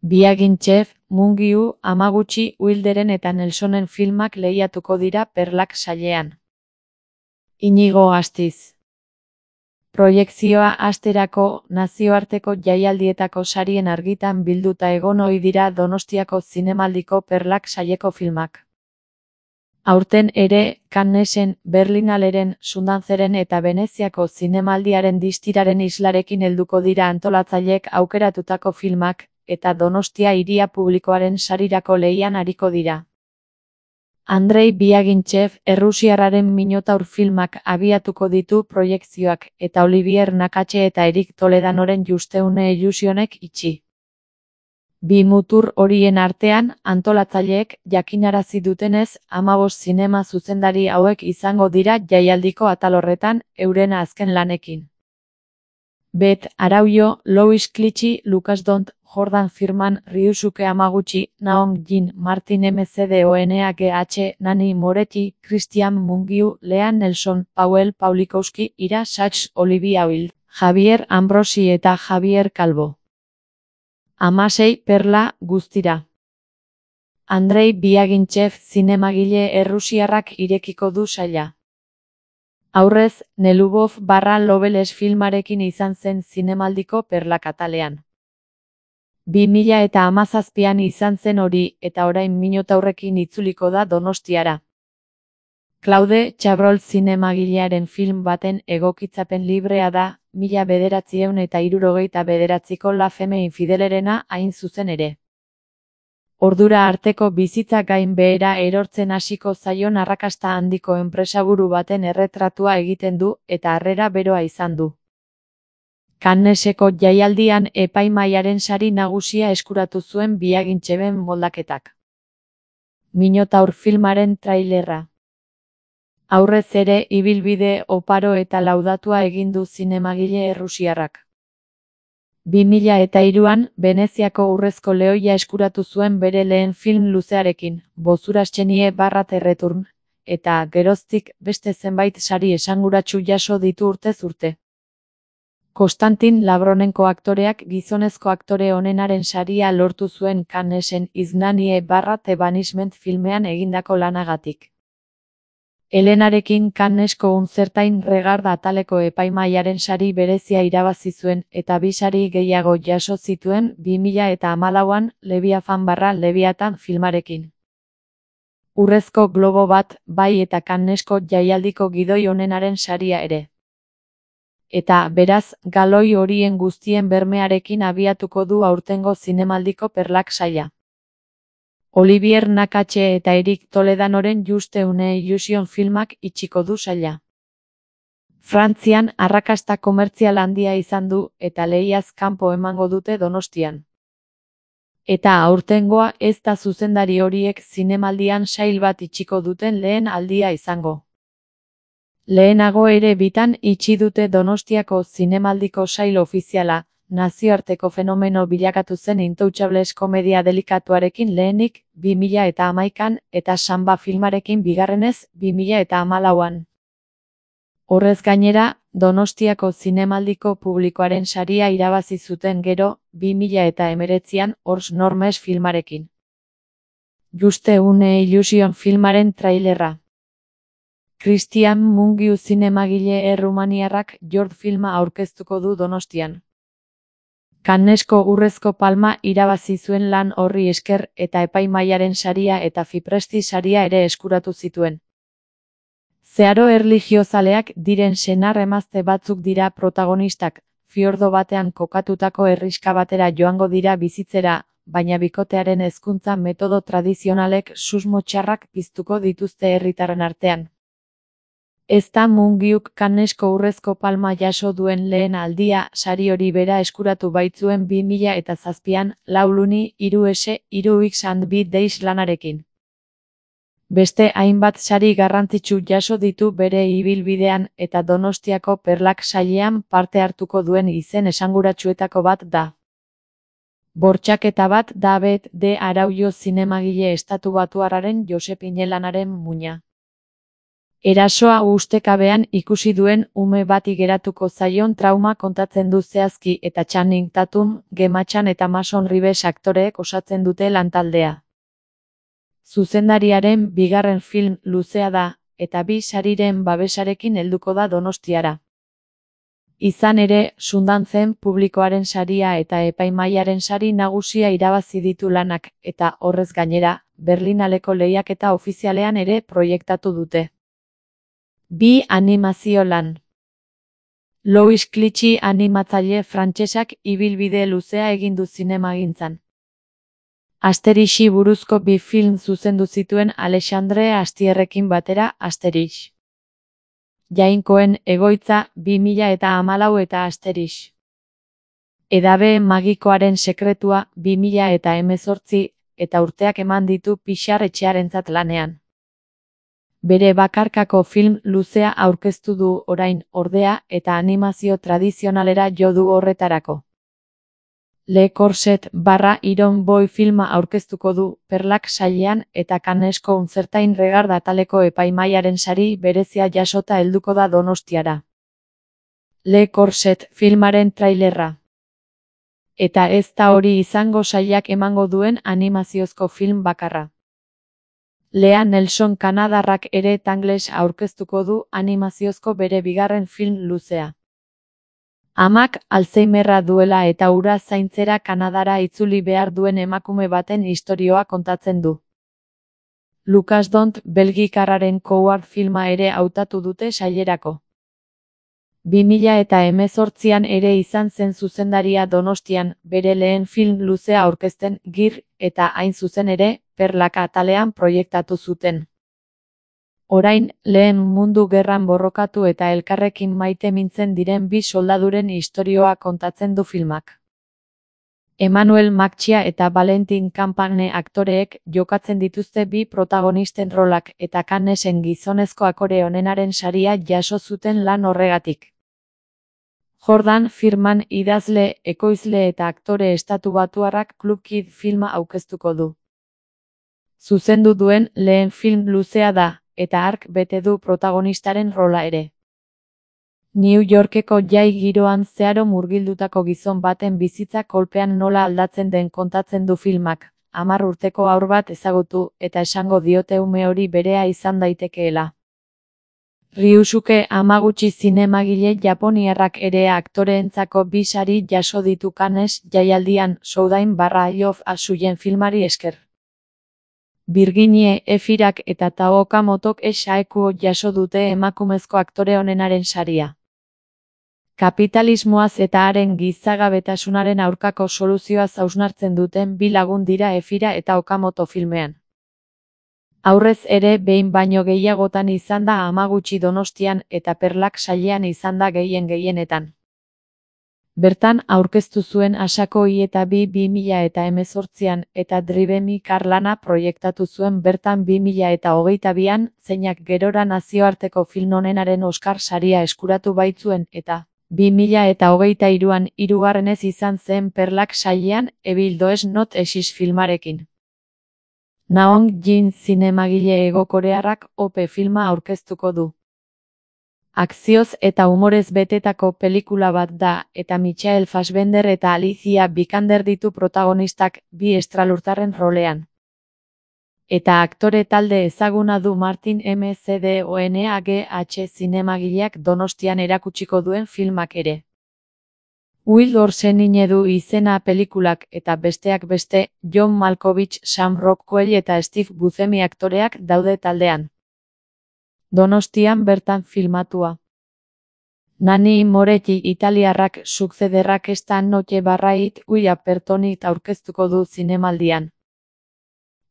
Biagintxev, Mungiu, Hamaguchi, Wilderen eta Nelsonen filmak lehiatuko dira Perlak sailean. Inigo Astiz. Proiekzioa hasterako nazioarteko jaialdietako sarien argitan bilduta egon ohi dira Donostiako Zinemaldiko Perlak saileko filmak. Aurten ere, Cannesen, Berlinaleren, Sundanzeren eta Veneziako Zinemaldiaren distiraren islarekin helduko dira antolatzaileek aukeratutako filmak, eta Donostia hiria publikoaren sarirako lehian ariko dira. Andrei Biagintxev errusiarraren Minotaur filmak abiatuko ditu proiekzioak, eta Olivier Nakache eta Erik Toledanoren Justeune Illusionek itxi. Bi mutur horien artean, antolatzaileek jakinarazi dutenez, 15 zinema zuzendari hauek izango dira jaialdiko atal horretan, euren azken lanekin. Bet Araujo, Louis Clichy, Lucas Dont, Jordan Firman, Ryusuke Hamaguchi, Naong Jin, Martin McDonagh, Nani Moretti, Christian Mungiu, Lea Nelson, Powell Pawlikowski, Ira Sachs, Olivia Wilde, Javier Ambrosi eta Javier Calvo. 16 perla guztira. Andrei Biagintxev zinemagile errusiarrak irekiko du saila. Aurrez, Nelubov / Loveles filmarekin izan zen Zinemaldiko Perlak atalean. 2017an izan zen hori, eta orain Minotaurrekin itzuliko da Donostiara. Claude Chabrol zinemagilearen film baten egokitzapen librea da, 1969ko La Femme Infidelerena hain zuzen ere. Ordura arteko bizitza gain behera erortzen hasiko zaion arrakasta handiko enpresaburu baten erretratua egiten du, eta harrera beroa izan du. Canneseko jaialdian epaimahaiaren sari nagusia eskuratu zuen Biagintxeven moldaketak. Minotaur filmaren trailerra. Aurrez ere ibilbide oparo eta laudatua egin du zinemagile errusiarrak. 2003an, Veneziako Urrezko Lehoia eskuratu zuen bere lehen film luzearekin, Bozuraschenie / Return, eta geroztik beste zenbait sari esanguratsu jaso ditu urtez urte. Konstantin Labronenko aktoreak gizonezko aktore onenaren saria lortu zuen Cannesen Iznanie / The Banishment filmean egindako lanagatik. Helenarekin Cannesko Uncertain Regard ataleko epaimahaiaren sari berezia irabazi zuen eta bi sari gehiago jaso zituen 2014an Leviathan / Leviathan filmarekin. Urrezko Globo bat bai eta Cannesko jaialdiko gidoi onenaren saria ere. Eta, beraz, galoi horien guztien bermearekin abiatuko du aurtengo Zinemaldiko Perlak saila. Olivier Nakache eta Erik Toledanoren Justeune Illusion filmak itxiko du saila. Frantzian arrakasta komertzial handia izan du eta lehiaz kanpo emango dute Donostian. Eta aurtengoa ez da zuzendari horiek zinemaldian sail bat itxiko duten lehen aldia izango. Lehenago ere bitan itxi dute Donostiako Zinemaldiko sail ofiziala, nazioarteko fenomeno bilakatu zen Intouchables komedia delikatuarekin lehenik 2011an eta Samba filmarekin bigarrenez 2014an. Horrez gainera, Donostiako Zinemaldiko publikoaren saria irabazi zuten gero 2019an Horst Normes filmarekin. Justeune Illusion filmaren trailerra. Christian Mungiu zinemagile errumaniarrak Jord filma aurkeztuko du Donostian. Cannesko Urrezko Palma irabazi zuen lan horri esker eta epaimahaiaren saria eta Fipresti saria ere eskuratu zituen. Zeharo erlijiozaleak diren senar emazte batzuk dira protagonistak, fiordo batean kokatutako herrixka batera joango dira bizitzera, baina bikotearen hezkuntza metodo tradizionalek susmo txarrak piztuko dituzte herritarren artean. Ez da Mungiuk Cannesko Urrezko Palma jaso duen lehen aldia, sari hori bera eskuratu baitzuen 2007an, 4 Luni, 3 S, 3 X and B Days lanarekin. Beste hainbat sari garrantzitsu jaso ditu bere ibilbidean eta Donostiako Perlak sailean parte hartuko duen izen esanguratsuetako bat da. Bortxaketa bat da Bet de Araujo zinemagile estatubatuarraren Josep Inelanaren muina. Erasoa ustekabean ikusi duen ume bati geratuko zaion trauma kontatzen du zehazki eta Channing Tatum, Gemma Chan eta Mason Rivers aktoreek osatzen dute lantaldea. Zuzendariaren bigarren film luzea da, eta 2 sariren babesarekin helduko da Donostiara. Izan ere, Sundancen publikoaren saria eta epaimahaiaren sari nagusia irabazi ditu lanak, eta horrez gainera, Berlinaleko lehiaketa ofizialean ere proiektatu dute. 2 animazio lan. Louis Clichy animatzaile frantsesak ibilbide luzea egin du zinemagintzan. Asterixi buruzko 2 film zuzendu zituen Alexandre Astierrekin batera Asterix. Jainkoen egoitza 2014 eta Asterix. Edabe magikoaren sekretua 2018 eta urteak eman ditu Pixar etxearentzat lanean. Bere bakarkako film luzea aurkeztu du orain, ordea, eta animazio tradizionalera jo du horretarako. Le Corset / Iron Boy filma aurkeztuko du, Perlak sailean eta Cannesko Uncertain Regard ataleko epaimahaiaren sari berezia jasota helduko da Donostiara. Le Corset filmaren trailerra. Eta ez da hori izango sailak emango duen animaziozko film bakarra. Lea Nelson kanadarrak ere Tangles aurkeztuko du animaziozko bere bigarren film luzea. Amak Alzheimerra duela eta hura zaintzera Kanadara itzuli behar duen emakume baten istorioa kontatzen du. Lucas Dont belgikarraren Coward filma ere hautatu dute sailerako. 2018an ere izan zen zuzendaria Donostian, bere lehen film luzea aurkezten, Gir, eta hain zuzen ere, Perlak atalean proiektatu zuten. Orain, Lehen Mundu Gerran borrokatu eta elkarrekin maite mintzen diren 2 soldaduren istorioa kontatzen du filmak. Emmanuel Macchia eta Valentin Campagne aktoreek jokatzen dituzte 2 protagonisten rolak eta Cannesen gizonezko akore onenaren saria jaso zuten lan horregatik. Jordan Firman idazle, ekoizle eta aktore estatubatuarrak Club Kid filma aurkeztuko du. Zuzendu duen lehen film luzea da, eta hark bete du protagonistaren rola ere. New Yorkeko jai giroan zeharo murgildutako gizon baten bizitza kolpean nola aldatzen den kontatzen du filmak, 10 urteko haur bat ezagutu eta esango diote ume hori berea izan daitekeela. Ryusuke Hamaguchi zinemagile japoniarrak ere aktoreentzako 2 sari jaso ditu Cannes jaialdian Showtime / Eye of Asuyen filmari esker. Virginie Efirak eta Tao Okamotok Eshaekuo jaso dute emakumezko aktore onenaren saria. Kapitalismoaz eta haren gizagabetasunaren aurkako soluzioaz hausnartzen duten 2 lagun dira Efira eta Okamoto filmean. Aurrez ere behin baino gehiagotan izan da Hamaguchi Donostian eta Perlak sailean izan da gehienetan. Bertan aurkeztu zuen Asako Ieta 2018an eta Drive My Car lana proiektatu zuen bertan 2022an, zeinak gerora nazioarteko film onenaren Oscar saria eskuratu baitzuen eta 2023an 3. izan zen Perlak sailean Evil Does Not Exist filmarekin. Naong Jin zinemagile hego-korearrak OP filma aurkeztuko du. Akzioz eta humorez betetako pelikula bat da, eta Michael Fassbender eta Alicia Vikander ditu protagonistak 2 estralurtarren rolean. Eta aktore talde ezaguna du Martin McDonagh zinemagileak Donostian erakutsiko duen filmak ere. Wild Horse du izena pelikulak eta besteak beste, John Malkovich, Sam Rockwell eta Steve Buscemi aktoreak daude taldean. Donostian bertan filmatua. Nanni Moretti italiarrak Succederrak esta noche / Uia Pertonit aurkeztuko du zinemaldian.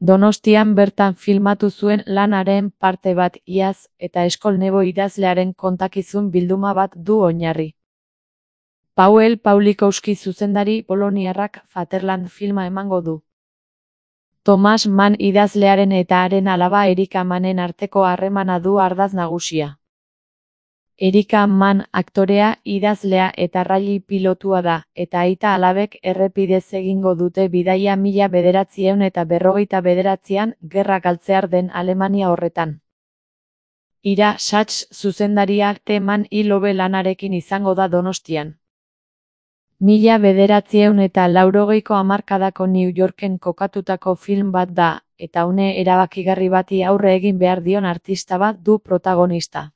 Donostian bertan filmatu zuen lanaren parte bat iaz eta Eskol Nebo idazlearen kontakizun bilduma bat du oinarri. Paweł Pawlikowski zuzendari poloniarrak Fatherland filma emango du. Thomas Mann idazlearen eta haren alaba Erika Mannen arteko harremana du ardatz nagusia. Erika Mann aktorea, idazlea eta rally pilotua da, eta aita alabek errepidez egingo dute bidaia 1949an gerra galtzear den Alemania horretan. Ira Sachs zuzendaria teman ilobe lanarekin izango da Donostian. 1980ko hamarkadako New Yorken kokatutako film bat da, eta une erabakigarri bati aurre egin behar dion artista bat du protagonista.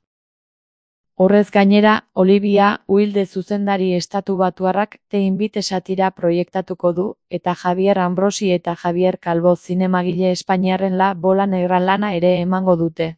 Horrez gainera, Olivia Wilde zuzendari estatubatuarrak The Invite satira proiektatuko du, eta Javier Ambrosi eta Javier Calvo zinemagile espainiarren La Bola Negra lana ere emango dute.